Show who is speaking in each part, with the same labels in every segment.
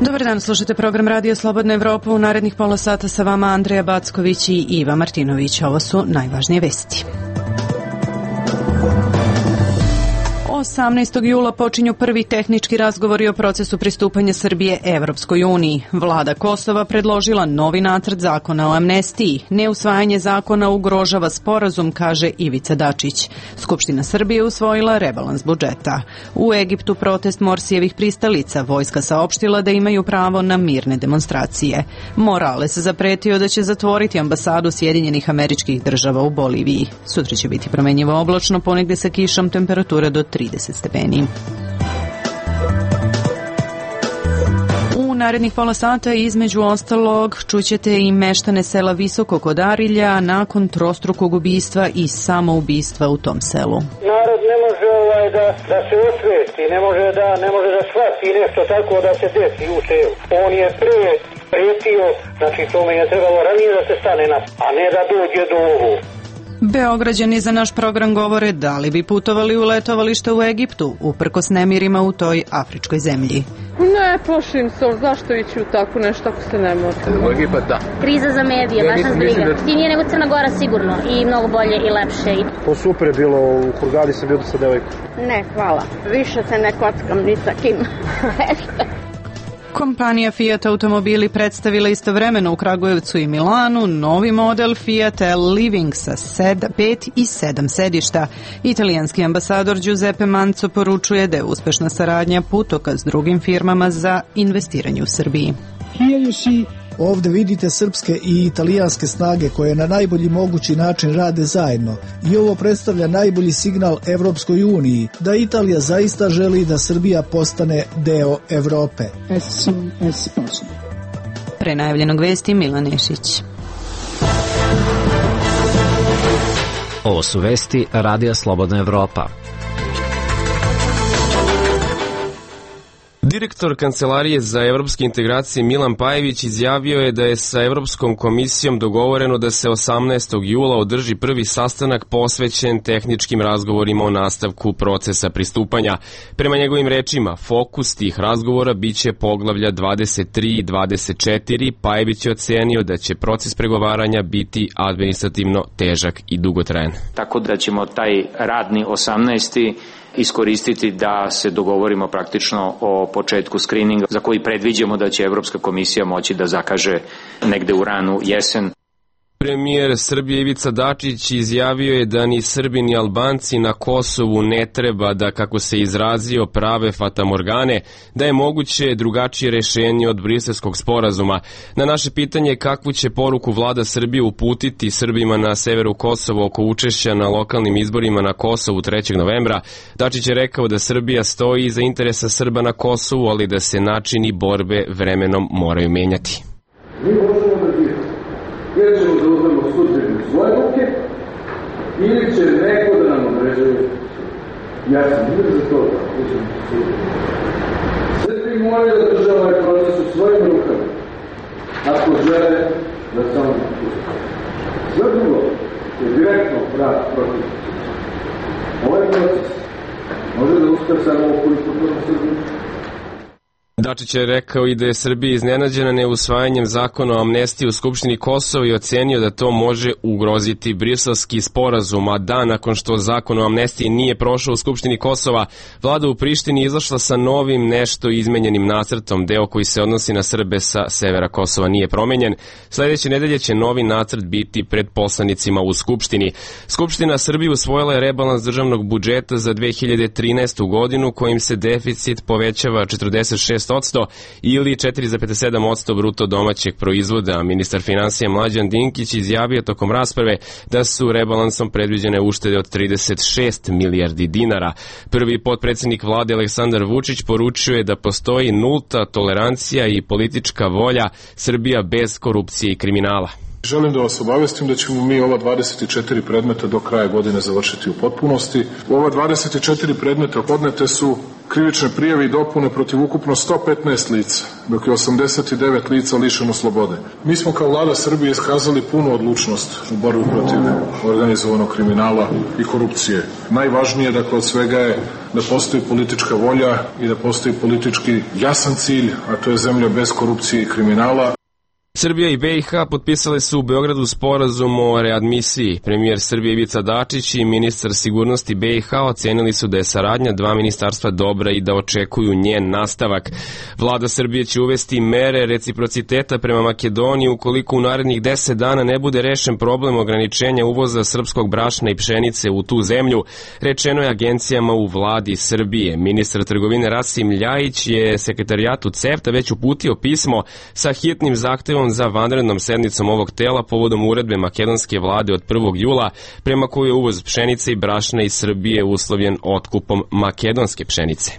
Speaker 1: Dobar dan, slušate program Radio Slobodna Evropa. U narednih pola sata sa vama Andreja Backović i Iva Martinović. Ovo su najvažnije vesti. 18. jula počinju prvi tehnički razgovori o procesu pristupanja Srbije Evropskoj uniji. Vlada Kosova predložila novi nacrt zakona o amnestiji. Neusvajanje zakona ugrožava sporazum, kaže Ivica Dačić. Skupština Srbije usvojila rebalans budžeta. U Egiptu protest Morsijevih pristalica. Vojska saopštila da imaju pravo na mirne demonstracije. Morales zapretio da će zatvoriti ambasadu Sjedinjenih Američkih Država u Boliviji. Sutra će biti promenjivo oblačno, ponegde sa kišom, temperatura do 30 stepeni. U narednih pola sata između ostalog čućete i meštane sela Visoko kod Arilja nakon trostrukog ubistva i samoubistva u tom selu.
Speaker 2: Narod ne može da se osvesti, ne može da shvati nešto tako da se desi u selu. On je prijetio, znači tome je trebalo ranije da se stane na, a ne da dođe do ovo.
Speaker 1: Beograđani za naš program govore da li bi putovali u letovalište u Egiptu, uprkos nemirima u toj afričkoj zemlji.
Speaker 3: Ne, plašim se, zašto ići u tako nešto ako se ne može?
Speaker 4: U Egipat, da.
Speaker 5: Kriza za medije, baš nas briga. Tinije nego Crna Gora sigurno i mnogo bolje i lepše.
Speaker 6: To super je bilo, u Hurgadi sam bio sa devojkom.
Speaker 7: Ne, hvala. Više se ne kockam ni sa kim.
Speaker 1: Kompanija Fiat automobili predstavila istovremeno u Kragujevcu i Milanu novi model Fiat Living sa 5 i 7 sedišta. Italijanski ambasador Giuseppe Manzo poručuje da je uspešna saradnja putokaz s drugim firmama za investiranje u Srbiji.
Speaker 8: Ovde vidite srpske i italijanske snage koje na najbolji mogući način rade zajedno i ovo predstavlja najbolji signal Evropskoj uniji da Italija zaista želi da Srbija postane deo Evrope.
Speaker 1: Pre najavljenog vesti Milan Nešić.
Speaker 9: Ovo su vesti Radija Slobodna Evropa.
Speaker 10: Direktor Kancelarije za evropske integracije Milan Pajević izjavio je da je sa Evropskom komisijom dogovoreno da se 18. jula održi prvi sastanak posvećen tehničkim razgovorima o nastavku procesa pristupanja. Prema njegovim rečima, fokus tih razgovora biće poglavlja 23 i 24. Pajević je ocenio da će proces pregovaranja biti administrativno težak i dugotrajan.
Speaker 11: Tako da ćemo taj radni 18. iskoristiti da se dogovorimo praktično o početku skrininga za koji predviđamo da će Evropska komisija moći da zakaže negde u ranu jesen.
Speaker 10: Premijer Srbije Ivica Dačić izjavio je da ni Srbi ni Albanci na Kosovu ne treba da, kako se izrazio, prave fatamorgane, da je moguće drugačije rešenje od Briselskog sporazuma. Na naše pitanje kakvu će poruku vlada Srbije uputiti Srbima na severu Kosova oko učešća na lokalnim izborima na Kosovu 3. novembra, Dačić je rekao da Srbija stoji iza interesa Srba na Kosovu, ali da se načini borbe vremenom moraju menjati.
Speaker 12: Ili ćemo da uzmemo sudbinu u svoje ruke, ili će neko da nam određuje. Ja sam uvijek za to da uzmemo sudbinu. Srbi moraju da drže ovaj proces u svojim rukama, ako žele da samo napuste. Sve drugo je direktno vrat protiv. Ovaj proces može da uspe samo ukoliko prvo Srbiju.
Speaker 10: Dačić je rekao i da je Srbija iznenađena neusvajanjem zakona o amnestiji u Skupštini Kosova i ocenio da to može ugroziti Briselski sporazum, a dan nakon što zakon o amnestiji nije prošao u Skupštini Kosova, vlada u Prištini izašla sa novim nešto izmenjenim nacrtom, deo koji se odnosi na Srbe sa severa Kosova nije promenjen. Sledeće nedelje će novi nacrt biti pred poslanicima u Skupštini. Skupština Srbije usvojila je rebalans državnog budžeta za 2013. godinu kojim se deficit povećava 46% ili 4,7% bruto domaćeg proizvoda. Ministar finansija Mlađan Dinkić izjavio tokom rasprave da su rebalansom predviđene uštede od 36 milijardi dinara. Prvi potpredsednik vlade Aleksandar Vučić poručuje da postoji nulta tolerancija i politička volja Srbija bez korupcije i kriminala.
Speaker 4: Želim da vas obavestim da ćemo mi ova 24 predmeta do kraja godine završiti u potpunosti. U ova 24 predmeta podnete su krivične prijave i dopune protiv ukupno 115 lica, dok je 89 lica lišeno slobode. Mi smo kao vlada Srbije iskazali punu odlučnost u borbi protiv organizovanog kriminala i korupcije. Najvažnije, dakle, od svega je da postoji politička volja i da postoji politički jasan cilj, a to je zemlja bez korupcije i kriminala.
Speaker 10: Srbija i BiH potpisale su u Beogradu sporazum o readmisiji. Premijer Srbije Ivica Dačić i ministar sigurnosti BiH ocenili su da je saradnja dva ministarstva dobra i da očekuju njen nastavak. Vlada Srbije će uvesti mere reciprociteta prema Makedoniji ukoliko u narednih 10 dana ne bude rešen problem ograničenja uvoza srpskog brašna i pšenice u tu zemlju, rečeno je agencijama u vladi Srbije. Ministar trgovine Rasim Ljajić je sekretarijatu CEFTA već uputio pismo sa hitnim zahtevom za vanrednom sednicom ovog tela povodom uredbe makedonske vlade od 1. jula prema kojoj je uvoz pšenice i brašna iz Srbije uslovljen otkupom makedonske pšenice.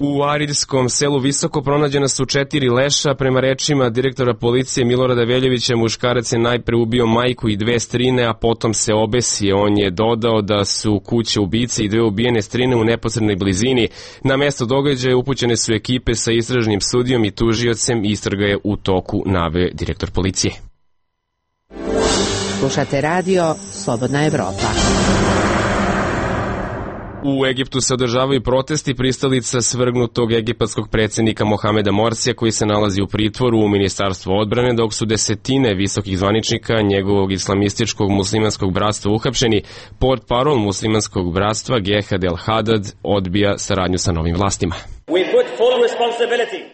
Speaker 10: U ariljskom selu Visoko pronađena su 4 leša. Prema rečima direktora policije Milorada Veljovića, muškarac je najpre ubio majku i 2 strine, a potom se obesio. On je dodao da su kuće ubice i 2 ubijene strine u neposrednoj blizini. Na mesto događaja upućene su ekipe sa istražnim sudijom i tužiocem. Istraga je u toku, naveo direktor policije.
Speaker 13: Slušate radio Slobodna Evropa.
Speaker 10: U Egiptu se održavaju protesti pristalica svrgnutog egipatskog predsjednika Mohameda Morsija koji se nalazi u pritvoru u Ministarstvu odbrane, dok su desetine visokih zvaničnika njegovog islamističkog muslimanskog bratstva uhapšeni. Portparol muslimanskog bratstva Gehad El Hadad odbija saradnju sa novim vlastima.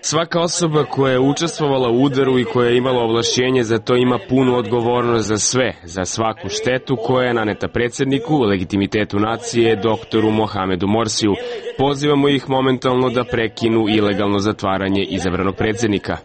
Speaker 10: Svaka osoba koja je učestvovala u udaru i koja je imala ovlašćenje za to ima punu odgovornost za sve, za svaku štetu koja je naneta predsjedniku, legitimitetu nacije, doktoru Mohamedu Morsiju. Pozivamo ih momentalno da prekinu ilegalno zatvaranje izabranog predsjednika.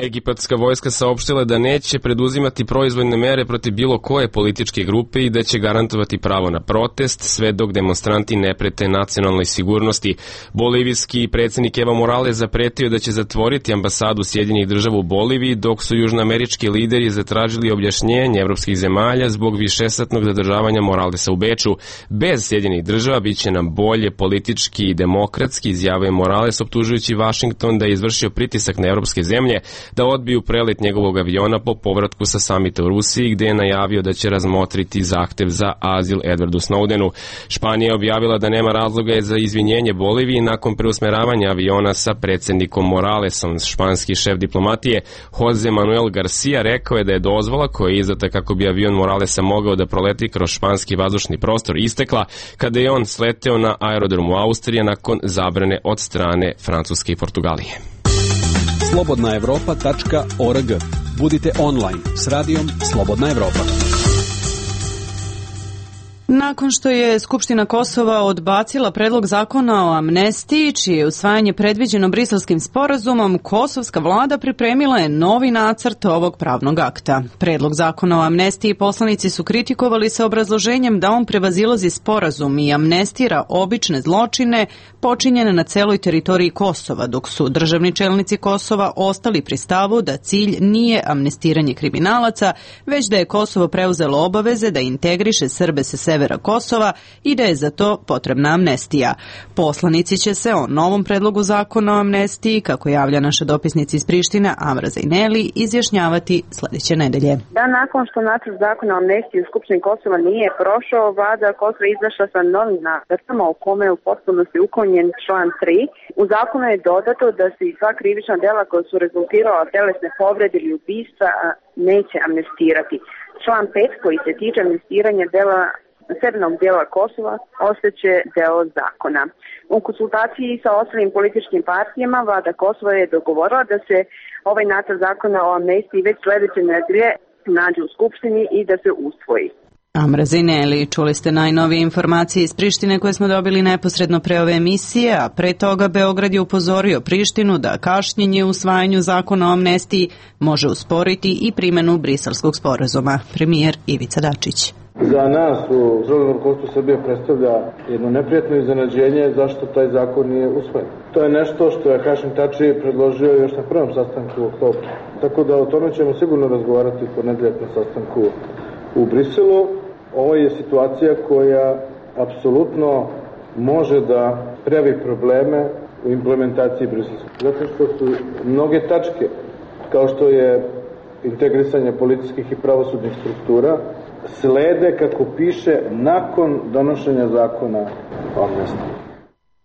Speaker 10: Egipatska vojska saopštila da neće preduzimati proizvoljne mere protiv bilo koje političke grupe i da će garantovati pravo na protest sve dok demonstranti ne prete nacionalnoj sigurnosti. Bolivijski predsjednik Evo Morales zapretio da će zatvoriti ambasadu Sjedinjenih država u Boliviji, dok su južnoamerički lideri zatražili objašnjenje evropskih zemalja zbog višesatnog zadržavanja Moralesa u Beču. Bez Sjedinjenih država biće nam bolje politički i demokratski, izjavio Morales, optužujući Vašington da je izvršio pritisak na evropske zemlje da odbiju prelet njegovog aviona po povratku sa samita u Rusiji, gde je najavio da će razmotriti zahtev za azil Edwardu Snowdenu. Španija je objavila da nema razloga za izvinjenje Boliviji nakon preusmeravanja aviona sa predsjednikom Moralesom. Španski šef diplomatije Jose Manuel Garcia rekao je da je dozvola koja je izdata kako bi avion Moralesa mogao da proleti kroz španski vazdušni prostor istekla kada je on sleteo na aerodromu Austrije nakon zabrane od strane Francuske i Portugalije.
Speaker 14: slobodnaevropa.org. Budite online s radijom Slobodna Evropa.
Speaker 1: Nakon što je Skupština Kosova odbacila predlog zakona o amnestiji, čije je usvajanje predviđeno Briselskim sporazumom, kosovska vlada pripremila je novi nacrt ovog pravnog akta. Predlog zakona o amnestiji poslanici su kritikovali sa obrazloženjem da on prevazilazi sporazum i amnestira obične zločine počinjene na celoj teritoriji Kosova, dok su državni čelnici Kosova ostali pri stavu da cilj nije amnestiranje kriminalaca, već da je Kosovo preuzelo obaveze da integriše Srbe sa severa Kosova i da je za to potrebna amnestija. Poslanici će se o novom predlogu zakona o amnestiji, kako javlja naša dopisnica iz Prištine Amra Zajneli, izjašnjavati sledeće nedelje.
Speaker 15: Da, nakon što nacrt zakona o amnestiji u Skupštini Kosova nije prošao, vlada Kosova izašla sa novim nacrtom u kome je u potpunosti uklonjen član 3. U zakonu je dodato da se i sva krivična dela koja su rezultirala telesne povrede ili ubistva neće amnestirati. Član 5 koji se tiče amnestiranja dela severnog dijela Kosova ostaće deo zakona. U konsultaciji sa ostalim političkim partijama vlada Kosova je dogovorila da se ovaj nacrt zakona o amnestiji već sledeće nedelje nađe u Skupštini i da se usvoji.
Speaker 1: Amra Zajneli, čuli ste najnovije informacije iz Prištine koje smo dobili neposredno pre ove emisije, a pre toga Beograd je upozorio Prištinu da kašnjenje u usvajanju zakona o amnestiji može usporiti i primenu Briselskog sporazuma. Premijer Ivica Dačić.
Speaker 12: Za nas u Državnom rukovodstvu Srbije predstavlja jedno neprijatno iznenađenje zašto taj zakon nije usvojen. To je nešto što je Hašim Tači predložio još na prvom sastanku u oktobru. Tako da o tome ćemo sigurno razgovarati u ponedeljak na sastanku u Briselu. Ovo je situacija koja apsolutno može da pravi probleme u implementaciji Briselskog. Zato što su mnoge tačke, kao što je integrisanje policijskih i pravosudnih struktura, slede, kako piše, nakon donošenja zakona o amnestiji.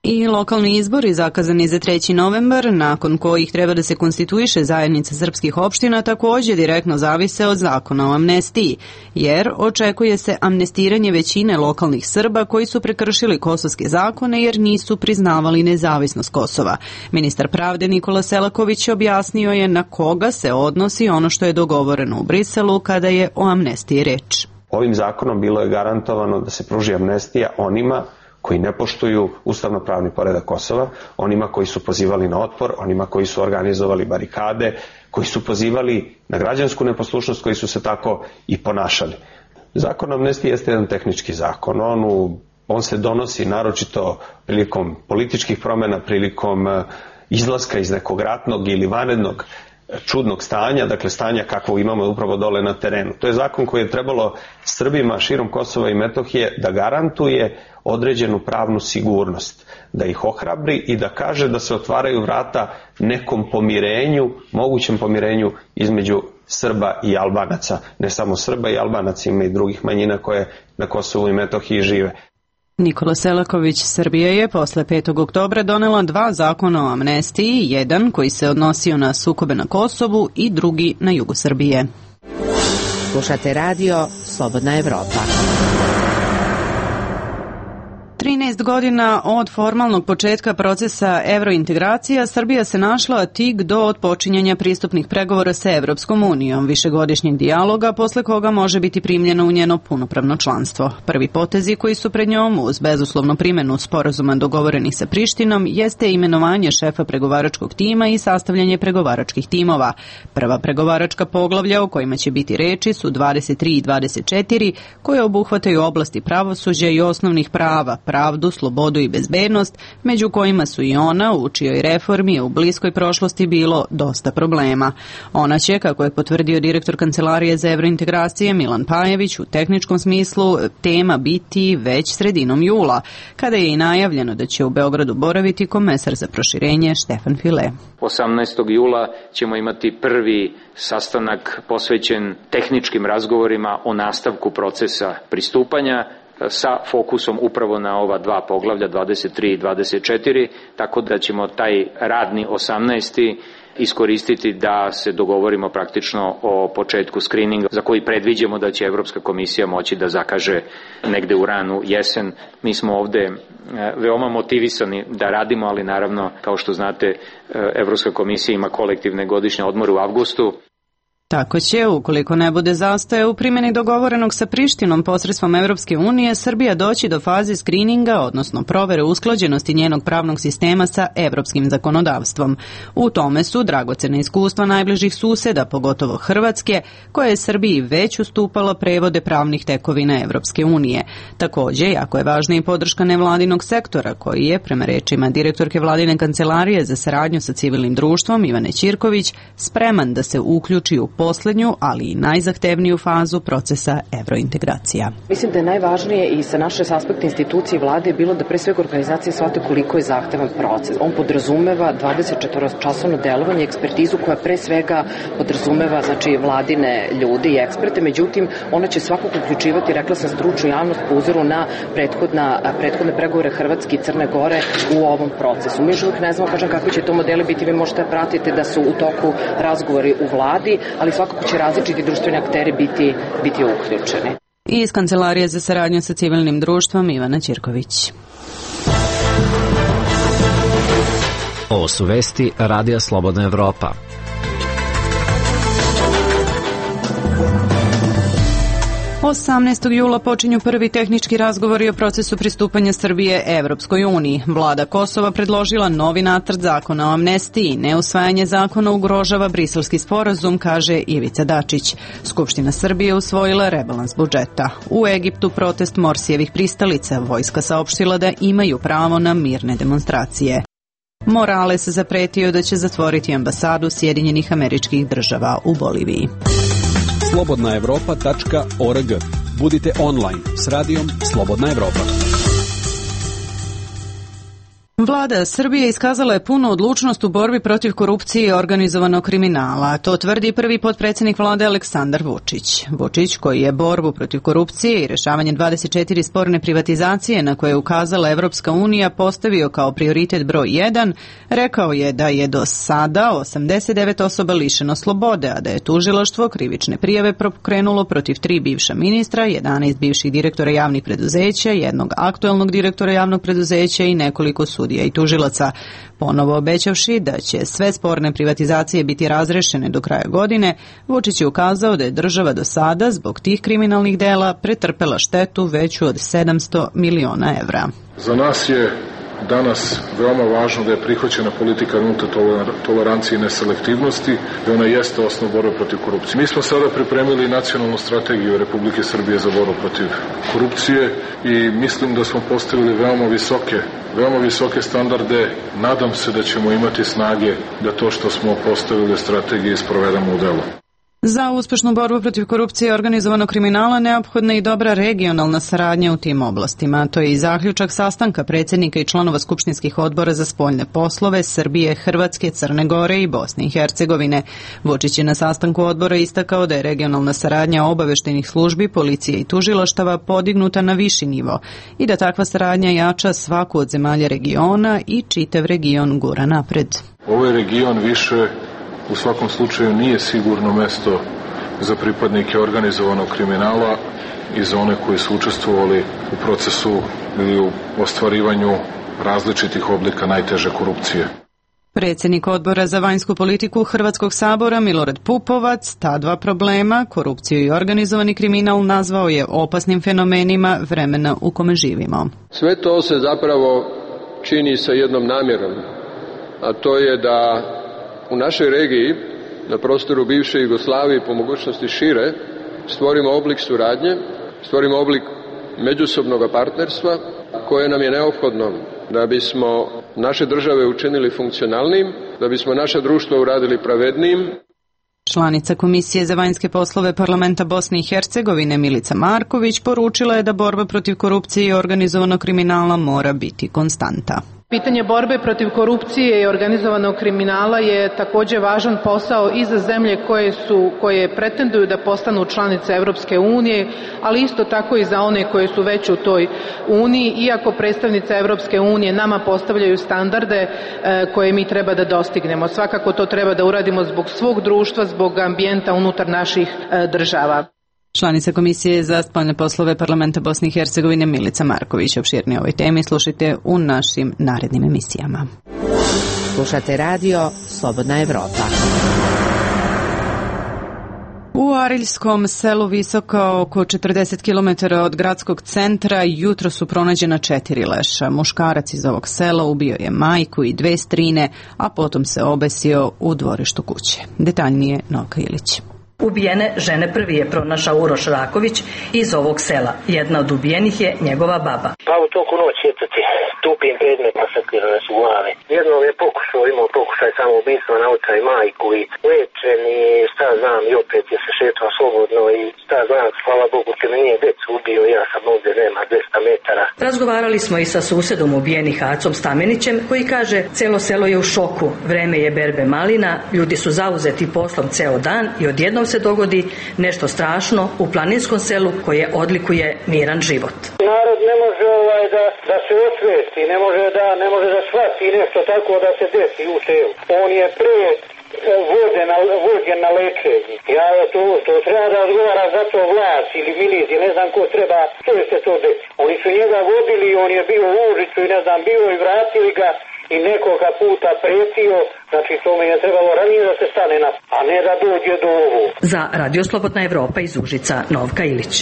Speaker 1: I lokalni izbori zakazani za 3. novembar, nakon kojih treba da se konstituiše zajednica srpskih opština, također direktno zavise od zakona o amnestiji, jer očekuje se amnestiranje većine lokalnih Srba koji su prekršili kosovske zakone jer nisu priznavali nezavisnost Kosova. Ministar pravde Nikola Selaković objasnio je na koga se odnosi ono što je dogovoreno u Briselu kada je o amnestiji reč.
Speaker 16: Ovim zakonom bilo je garantovano da se pruži amnestija onima koji ne poštuju ustavno-pravni poredak Kosova, onima koji su pozivali na otpor, onima koji su organizovali barikade, koji su pozivali na građansku neposlušnost, koji su se tako i ponašali. Zakon o amnestiji jeste jedan tehnički zakon. On se donosi naročito prilikom političkih promjena, prilikom izlaska iz nekog ratnog ili vanrednog čudnog stanja, dakle stanja kakvo imamo upravo dole na terenu. To je zakon koji je trebalo Srbima širom Kosova i Metohije da garantuje određenu pravnu sigurnost, da ih ohrabri i da kaže da se otvaraju vrata nekom pomirenju, mogućem pomirenju između Srba i Albanaca. Ne samo Srba i Albanaca, ima i drugih manjina koje na Kosovu i Metohiji žive.
Speaker 1: Nikola Selaković, Srbija je posle 5. oktobra donela 2 zakona o amnestiji, jedan koji se odnosio na sukobe na Kosovu i drugi na jugu Srbije.
Speaker 13: Slušate radio Slobodna Evropa.
Speaker 1: 13 godina od formalnog početka procesa evrointegracija, Srbija se našla tik do otpočinjanja pristupnih pregovora sa Evropskom unijom, višegodišnjeg dijaloga, posle koga može biti primljeno u njeno punopravno članstvo. Prvi potezi koji su pred njom, uz bezuslovnu primjenu sporazuma dogovorenih sa Prištinom, jeste imenovanje šefa pregovaračkog tima i sastavljanje pregovaračkih timova. Prva pregovaračka poglavlja o kojima će biti reči su 23 i 24, koje obuhvataju oblasti pravosuđa i osnovnih prava, pravdu, slobodu i bezbednost, među kojima su i ona, u čijoj reformi je u bliskoj prošlosti bilo dosta problema. Ona će, kako je potvrdio direktor Kancelarije za evrointegracije Milan Pajević, u tehničkom smislu tema biti već sredinom jula, kada je i najavljeno da će u Beogradu boraviti komesar za proširenje Štefan File.
Speaker 11: 18. jula ćemo imati prvi sastanak posvećen tehničkim razgovorima o nastavku procesa pristupanja, sa fokusom upravo na ova 2 poglavlja, 23 i 24, tako da ćemo taj radni 18. iskoristiti da se dogovorimo praktično o početku skrininga za koji predviđamo da će Evropska komisija moći da zakaže negde u ranu jesen. Mi smo ovde veoma motivisani da radimo, ali naravno, kao što znate, Evropska komisija ima kolektivne godišnje odmore u avgustu.
Speaker 1: Tako će, ukoliko ne bude zastoja u primjeni dogovorenog sa Prištinom posredstvom Evropske unije, Srbija doći do faze skrininga, odnosno provere usklađenosti njenog pravnog sistema sa evropskim zakonodavstvom. U tome su dragocena iskustva najbližih suseda, pogotovo Hrvatske, koja je Srbiji već ustupala prevode pravnih tekovina Evropske unije. Također, jako je važna i podrška nevladinog sektora, koji je, prema rečima direktorke Vladine kancelarije za saradnju sa civilnim društvom Ivane Ćirković, spreman da se uključi u poslednju, ali i najzahtevniju fazu procesa evrointegracija.
Speaker 17: Mislim da je najvažnije i sa naše aspekta institucije i vlade bilo da pre svega organizacije shvate koliko je zahtevan proces. On podrazumeva 24-časovno delovanje, ekspertizu koja pre svega podrazumeva vladine ljude i eksperte, međutim ona će svakako uključivati, rekla sam, stručnu javnost po uzoru na prethodne pregovore Hrvatske i Crne Gore u ovom procesu. Mi još uvijek ne znamo kakvi će to modeli biti, vi možete pratiti da su u toku razgovori u vladi, ali svakako će različiti društveni akteri biti uključeni.
Speaker 1: Iz Kancelarije za saradnju sa civilnim društvom Ivana Ćirković.
Speaker 9: Ovo su vesti Radija Slobodna Evropa.
Speaker 1: 18. jula počinju prvi tehnički razgovori o procesu pristupanja Srbije Evropskoj uniji. Vlada Kosova predložila novi nacrt zakona o amnestiji. Neusvajanje zakona ugrožava Briselski sporazum, kaže Ivica Dačić. Skupština Srbije usvojila rebalans budžeta. U Egiptu protest Morsijevih pristalica. Vojska saopštila da imaju pravo na mirne demonstracije. Morales zapretio da će zatvoriti ambasadu Sjedinjenih Američkih Država u Boliviji.
Speaker 14: slobodnaevropa.org. Budite online s radijom Slobodna Evropa.
Speaker 1: Vlada Srbije iskazala je punu odlučnost u borbi protiv korupcije i organizovanog kriminala. To tvrdi prvi potpredsjednik vlade Aleksandar Vučić. Vučić, koji je borbu protiv korupcije i rešavanje 24 sporne privatizacije na koje je ukazala Evropska unija postavio kao prioritet broj 1, rekao je da je do sada 89 osoba lišeno slobode, a da je tužilaštvo krivične prijave pokrenulo protiv 3 bivša ministra, 11 bivših direktora javnih preduzeća, jednog aktuelnog direktora javnog preduzeća i nekoliko sudija i tužilaca, ponovo obećavši da će sve sporne privatizacije biti razrešene do kraja godine. Vučić je ukazao da je država do sada zbog tih kriminalnih dela pretrpela štetu veću od 700 miliona evra.
Speaker 4: Za nas je danas veoma važno da je prihvaćena politika nulte tolerancije i neselektivnosti, da ona jeste osnov borbe protiv korupcije. Mi smo sada pripremili nacionalnu strategiju Republike Srbije za borbu protiv korupcije i mislim da smo postavili veoma visoke standarde. Nadam se da ćemo imati snage da to što smo postavili u strategiji sprovedemo u delo.
Speaker 1: Za uspešnu borbu protiv korupcije i organizovanog kriminala neophodna je i dobra regionalna saradnja u tim oblastima. To je i zaključak sastanka predsjednika i članova skupštinskih odbora za spoljne poslove Srbije, Hrvatske, Crne Gore i Bosne i Hercegovine. Vučić je na sastanku odbora istakao da je regionalna saradnja obaveštajnih službi, policije i tužilaštava podignuta na viši nivo i da takva saradnja jača svaku od zemalja regiona i čitav region gura napred.
Speaker 4: Ovaj region više u svakom slučaju nije sigurno mesto za pripadnike organizovanog kriminala i za one koji su učestvovali u procesu ili u ostvarivanju različitih oblika najteže korupcije.
Speaker 1: Predsjednik odbora za vanjsku politiku Hrvatskog sabora Milorad Pupovac ta dva problema, korupciju i organizovani kriminal, nazvao je opasnim fenomenima vremena u kome živimo.
Speaker 18: Sve to se zapravo čini sa jednom namjerom, a to je da u našoj regiji, na prostoru bivše Jugoslavije, po mogućnosti šire, stvorimo oblik suradnje, stvorimo oblik međusobnog partnerstva koje nam je neophodno da bismo naše države učinili funkcionalnim, da bismo naše društvo uradili pravednijim.
Speaker 1: Članica Komisije za vanjske poslove Parlamenta Bosne i Hercegovine Milica Marković poručila je da borba protiv korupcije i organizovanog kriminala mora biti konstanta.
Speaker 19: Pitanje borbe protiv korupcije i organizovanog kriminala je također važan posao i za zemlje koje pretenduju da postanu članice Evropske unije, ali isto tako i za one koje su već u toj uniji, iako predstavnice Evropske unije nama postavljaju standarde koje mi treba da dostignemo. Svakako to treba da uradimo zbog svog društva, zbog ambijenta unutar naših država.
Speaker 1: Članica Komisije za spoljne poslove Parlamenta Bosne i Hercegovine Milica Marković. Opširnije o ovoj temi slušajte u našim narednim emisijama.
Speaker 13: Slušate radio Slobodna Evropa.
Speaker 1: U Ariljskom selu visoko oko 40 km od gradskog centra jutro su pronađena 4 leša. Muškarac iz ovog sela ubio je majku i 2 strine, a potom se obesio u dvorištu kuće. Detaljnije Novka Ilić.
Speaker 20: Ubijene žene prvi je pronašao Uroš Raković iz ovog sela. Jedna od ubijenih je njegova baba.
Speaker 2: Pa u toku noći tupim predmet masakrirane su glave. Jednom je imao pokušaj samoubistva na oca i majku i lečen i šta znam i opet je se šetao slobodno i šta znam, hvala Bogu te me nije decu ubio, ja sam ovdje nema 200 metara.
Speaker 20: Razgovarali smo i sa susedom ubijenih Acom Stamenićem koji kaže celo selo je u šoku, vreme je berbe malina, ljudi su zauzeti poslom ceo dan i odjednom se dogodi nešto strašno u planinskom selu koje odlikuje miran život.
Speaker 2: Narod ne može da se osvesti, ne može da shvati nešto tako da se desi u selu. On je prije vođen na lečenje. Ja to treba da odgovara za to vlast ili milici, ne znam ko treba, što je se to desi. Oni su njega vodili, on je bio u Užicu i ne znam, bio i vratili ga i nekoga puta pretio, znači to mi je trebalo ranije da se stane a ne da dođe do ovo.
Speaker 20: Za Radio Slobodna Evropa iz Užica, Novka Ilić.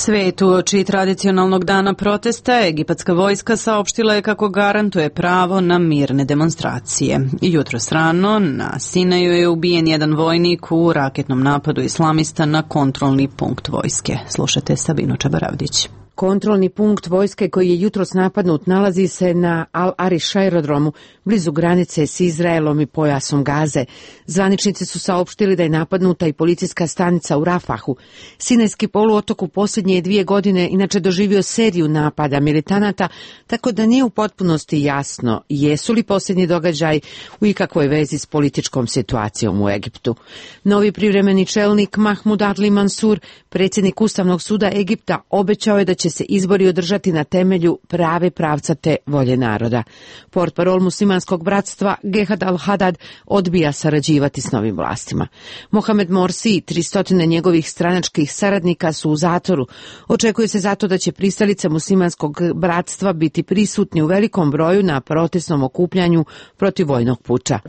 Speaker 1: Svet uoči tradicionalnog dana protesta, egipatska vojska saopštila je kako garantuje pravo na mirne demonstracije. Jutros rano na Sinaju je ubijen jedan vojnik u raketnom napadu islamista na kontrolni punkt vojske. Slušajte Sabinu Čabaravdić.
Speaker 21: Kontrolni punkt vojske koji je jutros napadnut nalazi se na Al-Ariš aerodromu, blizu granice s Izraelom i pojasom Gaze. Zvaničnici su saopštili da je napadnuta i policijska stanica u Rafahu. Sinajski poluotok u posljednje 2 godine inače doživio seriju napada militanata, tako da nije u potpunosti jasno jesu li posljednji događaj u ikakvoj vezi s političkom situacijom u Egiptu. Novi privremeni čelnik Mahmud Adli Mansur, predsjednik Ustavnog suda Egipta, obećao je da će se izbori održati na temelju prave pravcate volje naroda. Portparol muslimanskog bratstva Gehad al-Hadad odbija sarađivati s novim vlastima. Mohamed Morsi i 300 njegovih stranačkih saradnika su u zatvoru. Očekuje se zato da će pristalice muslimanskog bratstva biti prisutni u velikom broju na protestnom okupljanju protiv vojnog puča.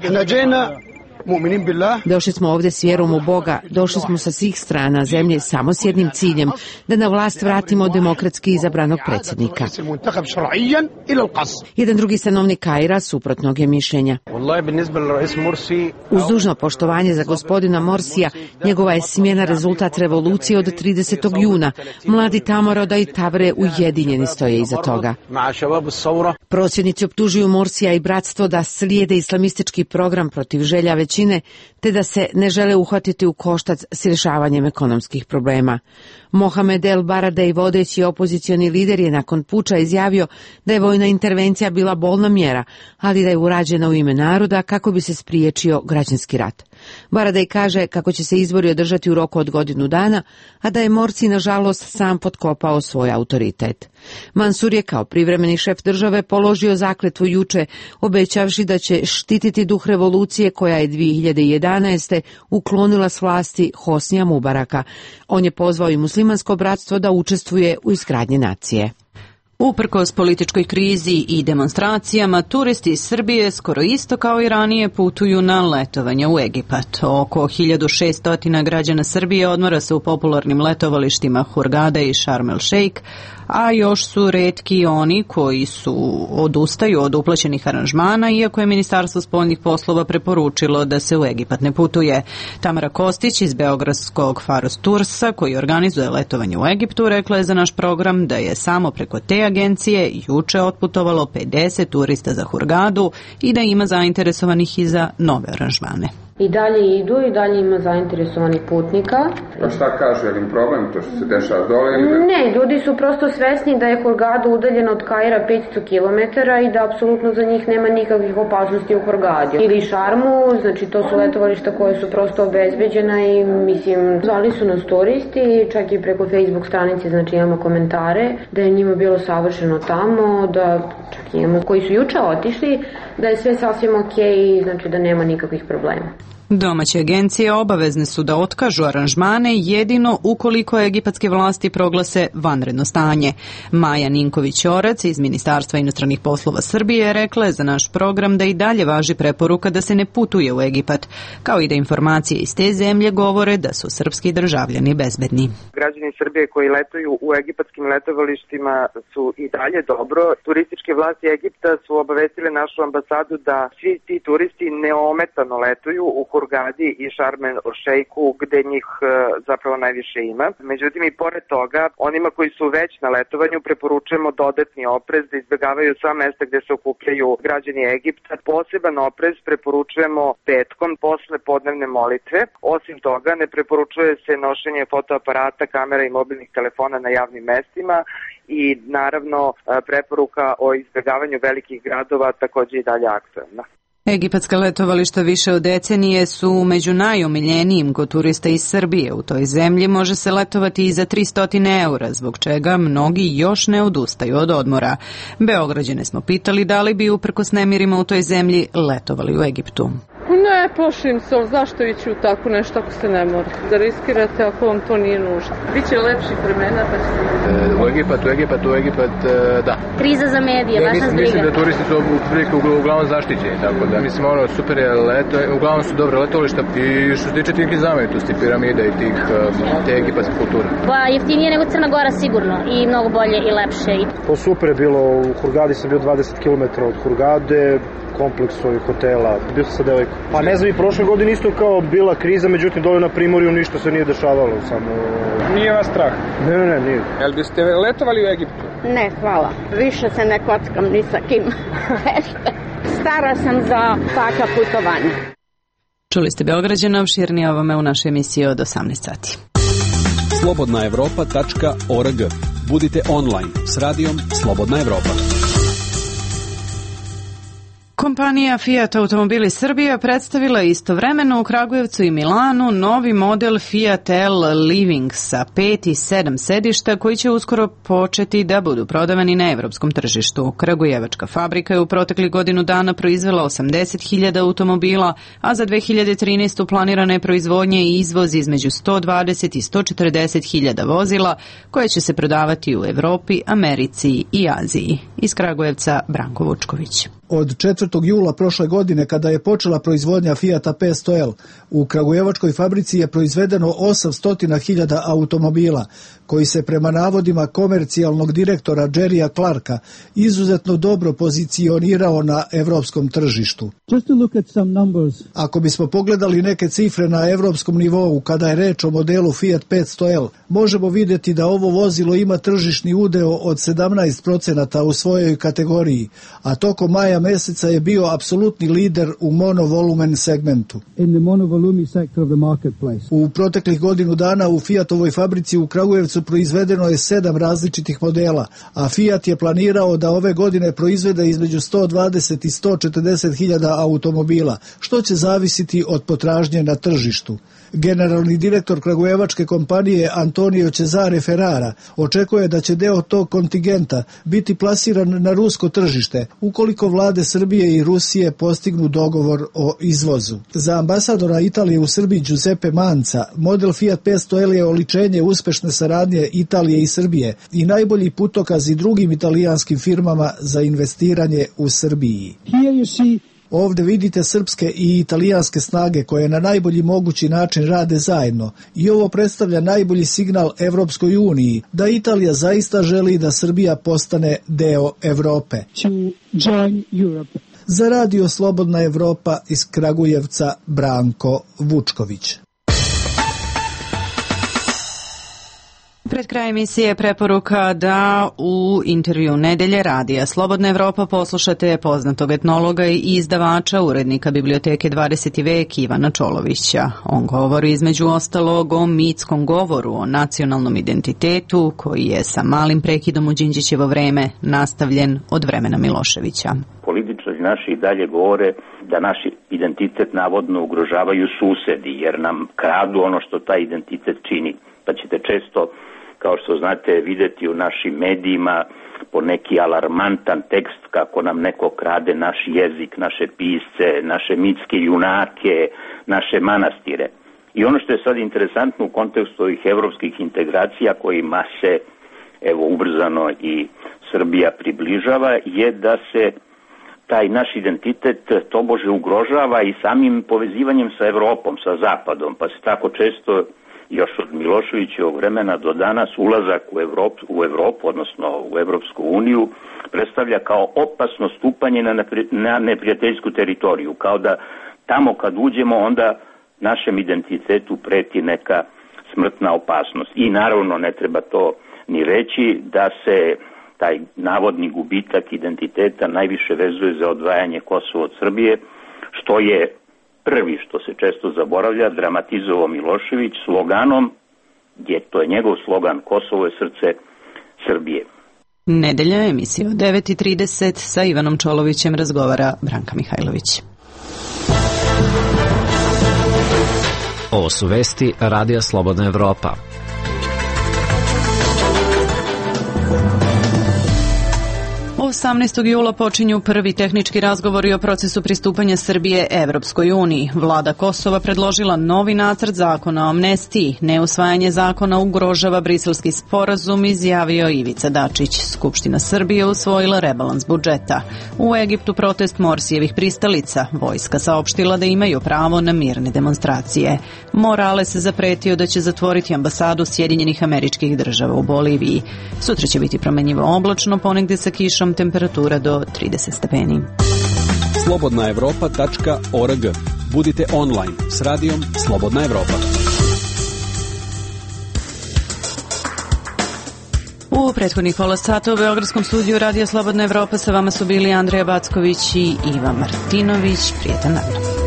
Speaker 21: Došli smo ovdje s vjerom u Boga, došli smo sa svih strana zemlje samo s jednim ciljem, da na vlast vratimo demokratski izabranog predsjednika. Jedan drugi stanovnik Kaira suprotnog je mišljenja. Uz dužno poštovanje za gospodina Morsija, njegova je smjena rezultat revolucije od 30. juna. Mladi Tamoroda i Tavre ujedinjeni stoje iza toga. Prosvjednici optužuju Morsija i bratstvo da slijede islamistički program protiv želja većine, te da se ne žele uhvatiti u koštac s rješavanjem ekonomskih problema. Mohamed El Baradei, vodeći opozicioni lider, je nakon puča izjavio da je vojna intervencija bila bolna mjera, ali da je urađena u ime naroda kako bi se spriječio građanski rat. Baradei kaže kako će se izbori održati u roku od 1 godinu dana, a da je Morsi nažalost sam potkopao svoj autoritet. Mansur je kao privremeni šef države položio zakletvu juče, obećavši da će štititi duh revolucije koja je 2011. uklonila s vlasti Hosnija Mubaraka. On je pozvao i muslimansko bratstvo da učestvuje u izgradnji nacije.
Speaker 1: Uprkos političkoj krizi i demonstracijama, turisti iz Srbije skoro isto kao i ranije putuju na letovanje u Egipat. Oko 1600 građana Srbije odmora se u popularnim letovalištima Hurgada i Sharm el Sheikh, a još su retki oni koji odustaju od uplaćenih aranžmana, iako je Ministarstvo spoljnih poslova preporučilo da se u Egipat ne putuje. Tamara Kostić iz beogradskog Faros Toursa, koji organizuje letovanje u Egiptu, rekla je za naš program da je samo preko te agencije juče otputovalo 50 turista za Hurgadu i da ima zainteresovanih i za nove aranžmane.
Speaker 22: I dalje idu, i dalje ima zainteresovanih putnika.
Speaker 23: Pa šta kaže, je li problem to što se dešava dole?
Speaker 22: Ne, ljudi su prosto svesni da je Hurgada udaljena od Kaira 500 km i da apsolutno za njih nema nikakvih opasnosti u Hurgadi. Ili Šarmu, znači to su letovališta koje su prosto obezbeđena i mislim, zvali su nas turisti, čak i preko Facebook stranice, znači imamo komentare, da je njima bilo savršeno tamo, da čak imamo koji su juče otišli, da je sve sasvim okej, znači da nema nikakvih problema.
Speaker 1: Domaće agencije obavezne su da otkažu aranžmane jedino ukoliko egipatske vlasti proglase vanredno stanje. Maja Ninković-Orac iz Ministarstva inostranih poslova Srbije rekla je za naš program da i dalje važi preporuka da se ne putuje u Egipat, kao i da informacije iz te zemlje govore da su srpski državljani bezbedni.
Speaker 24: Građani Srbije koji letuju u egipatskim letovalištima su i dalje dobro. Turističke vlasti Egipta su obavestile našu ambasadu da svi ti turisti neometano letuju u Hurgadi i Sharm el Sheikhu, gde njih zapravo najviše ima. Međutim, i pored toga, onima koji su već na letovanju preporučujemo dodatni oprez, da izbjegavaju sva mesta gde se okupljaju građani Egipta. Poseban oprez preporučujemo petkom posle podnevne molitve. Osim toga, ne preporučuje se nošenje fotoaparata, kamera i mobilnih telefona na javnim mestima i naravno preporuka o izbjegavanju velikih gradova također i dalje aktuelna.
Speaker 1: Egipatska letovališta više od decenije su među najomiljenijim kod turista iz Srbije. U toj zemlji može se letovati i za 300 eura, zbog čega mnogi još ne odustaju od odmora. Beograđane smo pitali da li bi uprkos nemirima u toj zemlji letovali u Egiptu.
Speaker 3: Ne, Ne plašim se, ali zašto ići u tako nešto ako se ne mora? Da riskirate ako vam to nije nužno. Biće lepših vremena pa ćete...
Speaker 5: U Egipat, da.
Speaker 6: Kriza za medije, vaša zbriga.
Speaker 5: Mislim da turisti su uglavnom zaštićeni, tako da mislim super je leto, uglavnom su dobre letovališta i što se tiče tih znamenitosti, piramida i te egipatske kulture.
Speaker 6: Pa jeftinije nego Crna Gora sigurno i mnogo bolje i lepše.
Speaker 7: Pa super je bilo, u Hurgadi sam bio 20 km od Hurgade, kompleks ovih hotela, bio sam sa devojkom. Pa ne znam, i prošle godine isto kao bila kriza, međutim dole na Primorju ništa se nije dešavalo, samo...
Speaker 5: Nije vas strah?
Speaker 7: Ne, nije.
Speaker 5: Jel biste letovali u Egiptu?
Speaker 8: Ne, hvala. Više se ne kockam ni sa kim. Stara sam za taka putovanja.
Speaker 1: Čuli ste Beograđana, opširnije ovome u našoj emisiji od 18 sati.
Speaker 14: slobodnaevropa.org. Budite online s radijom Slobodna Evropa.
Speaker 1: Kompanija Fiat Automobili Srbija predstavila istovremeno u Kragujevcu i Milanu novi model Fiat L Living sa 5 i 7 sedišta koji će uskoro početi da budu prodavani na evropskom tržištu. Kragujevačka fabrika je u proteklih godinu dana proizvela 80.000 automobila, a za 2013. planirana je proizvodnja i izvoz između 120 i 140.000 vozila koje će se prodavati u Evropi, Americi i Aziji. Iz Kragujevca Branko Vučković.
Speaker 25: Od 4. jula prošle godine, kada je počela proizvodnja Fiata 500L, u Kragujevačkoj fabrici je proizvedeno 800.000 automobila, koji se prema navodima komercijalnog direktora Jerrya Clarka izuzetno dobro pozicionirao na evropskom tržištu. Ako bismo pogledali neke cifre na evropskom nivou kada je reč o modelu Fiat 500L, možemo vidjeti da ovo vozilo ima tržišni udeo od 17% u svojoj kategoriji, a tokom maja meseca je bio apsolutni lider u monovolumen segmentu. U proteklih godinu dana u Fiatovoj fabrici u Kragujevcu proizvedeno je 7 različitih modela, a Fiat je planirao da ove godine proizvede između 120 i 140.000 automobila, što će zavisiti od potražnje na tržištu. Generalni direktor kragujevačke kompanije Antonio Cesare Ferrara očekuje da će deo tog kontingenta biti plasiran na rusko tržište ukoliko vlade Srbije i Rusije postignu dogovor o izvozu. Za ambasadora Italije u Srbiji Giuseppe Manca, model Fiat 500L je oličenje uspešne saradnje Italije i Srbije i najbolji putokaz i drugim italijanskim firmama za investiranje u Srbiji. Ovde vidite srpske i italijanske snage koje na najbolji mogući način rade zajedno i ovo predstavlja najbolji signal Evropskoj uniji da Italija zaista želi da Srbija postane deo Evrope. Za radio Slobodna Evropa iz Kragujevca Branko Vučković.
Speaker 1: Pred kraj emisije preporuka da u intervju Nedelje radija Slobodna Evropa poslušate poznatog etnologa i izdavača, urednika Biblioteke 20. vek Ivana Čolovića. On govori između ostalog o mitskom govoru o nacionalnom identitetu koji je sa malim prekidom u Đinđićevo vreme nastavljen od vremena Miloševića.
Speaker 26: Političari naši i dalje govore da naš identitet navodno ugrožavaju susedi jer nam kradu ono što taj identitet čini. Pa ćete često, kao što znate, videti u našim medijima po neki alarmantan tekst kako nam neko krade naš jezik, naše pisce, naše mitske junake, naše manastire. I ono što je sad interesantno u kontekstu ovih evropskih integracija kojima se ubrzano i Srbija približava je da se taj naš identitet tobože ugrožava i samim povezivanjem sa Evropom, sa Zapadom, pa se tako često još od Miloševićevog vremena do danas ulazak u Evropu, odnosno u Evropsku uniju, predstavlja kao opasno stupanje na neprijateljsku teritoriju, kao da tamo kad uđemo onda našem identitetu preti neka smrtna opasnost. I naravno ne treba to ni reći da se taj navodni gubitak identiteta najviše vezuje za odvajanje Kosova od Srbije, što je prvi, što se često zaboravlja, dramatizovao Milošević sloganom, to je njegov slogan, Kosovo je srce Srbije.
Speaker 1: Nedelja, emisija od 9:30 sa Ivanom Čolovićem razgovara Branka Mihajlović.
Speaker 9: Ovo su vesti Radija Slobodna Evropa.
Speaker 1: 18. jula počinju prvi tehnički razgovori o procesu pristupanja Srbije Evropskoj uniji. Vlada Kosova predložila novi nacrt zakona o amnestiji. Neusvajanje zakona ugrožava briselski sporazum, izjavio Ivica Dačić. Skupština Srbije usvojila rebalans budžeta. U Egiptu protest Morsijevih pristalica. Vojska saopštila da imaju pravo na mirne demonstracije. Morales zapretio da će zatvoriti ambasadu Sjedinjenih Američkih Država u Boliviji. Sutra će biti promenjivo oblačno, ponegde sa kišom, temperatura do 30 stepeni.
Speaker 14: slobodnaevropa.org. Budite online s radijom Slobodna Evropa.
Speaker 1: U prethodnih pola sata u Beogradskom studiju Radija Slobodna Evropa sa vama su bili Andreja Backović i Iva Martinović. Prijetan dan.